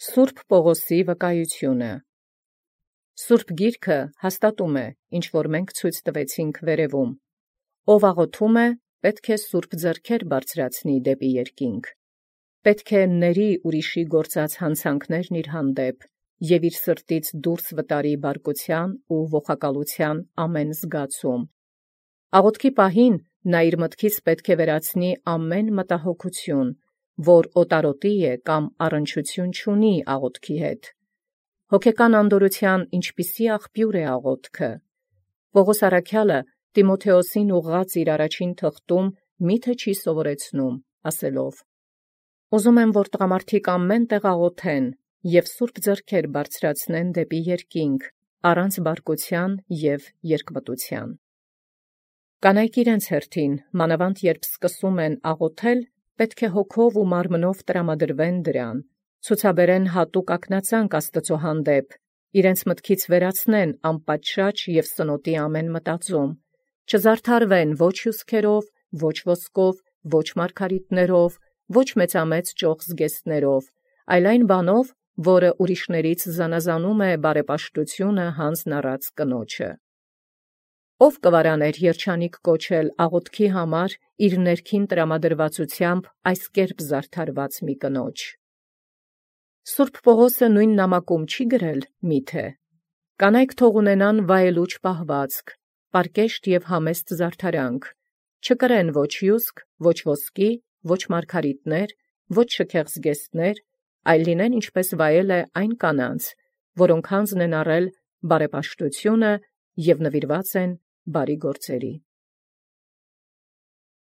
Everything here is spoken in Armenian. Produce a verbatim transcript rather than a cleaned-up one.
Սուրբ Պողոսի վկայությունը Սուրբ Գիրքը հաստատում է, ինչ որ մենք ցույց տվեցինք վերևում. ով աղոթում է, պետք է սուրբ ձեռքեր բարձրացնի դեպի երկինք, պետք է ների ուրիշի գործած հանցանքներն իր հանդեպ և իր սրտից դուրս վտարի բարկության ու ողակալության ամեն զգացում։ Աղոթքի պահին նա իր մտքից պետք է վերացնի ամեն մտահոգություն, որ օտարոտի է կամ առնչություն չունի աղոթքի հետ։ Հոգեկան անդորության ինչպիսի աղբյուր է աղոթքը։ Պողոս առաքյալը Տիմոթեոսին ուղղած իր առաջին թղթում միթե չի սովորեցնում, ասելով. «Ուզում եմ, որ տղամարդիկ ամեն տեղ աղոթեն և սուրբ ձեռքեր բարձրացնեն դեպի երկինք, առանց բարկության և երկմտության»։ Կանայք իրենց հերթին, մանավանդ երբ սկսում են աղոթել, պետք է հոգով ու մարմնով տրամադրվեն դրան, ցուցաբերեն հատուկ ակնածանք Աստծո հանդեպ, իրենց մտքից վերացնեն անպատշաճ և սնոտի ամեն մտածում, չզարդարվեն ոչ հյուսքերով, ոչ ոսկով, ոչ մարգարիտներով, ոչ մեծամեծ ճոխ զգեստներով, այլ այն բանով, որը ուրիշներից զանազանում է բարեպաշտությունը հանձն առած կնոջը։ Ո՞վ կվարաներ երջանիկ կոչել աղոթքի համար իր ներքին տրամադրվածությամբ այս կերպ զարդարված մի կնոջ։ Սուրբ Պողոսը նույն նամակում չի գրել միթե. «Կանայք թող ունենան վայելուչ պահվածք, պարկեշտ և համեստ զարդարանք, չկրեն ոչ հյուսք, ոչ ոսկի, ոչ մարգարիտներ, ոչ շքեղ զգեստներ, այլ լինեն ինչպես վայել է այն կանանց, որոնք հանձն են առել բարեպաշտությունը և նվիրված են բարի գործերի»։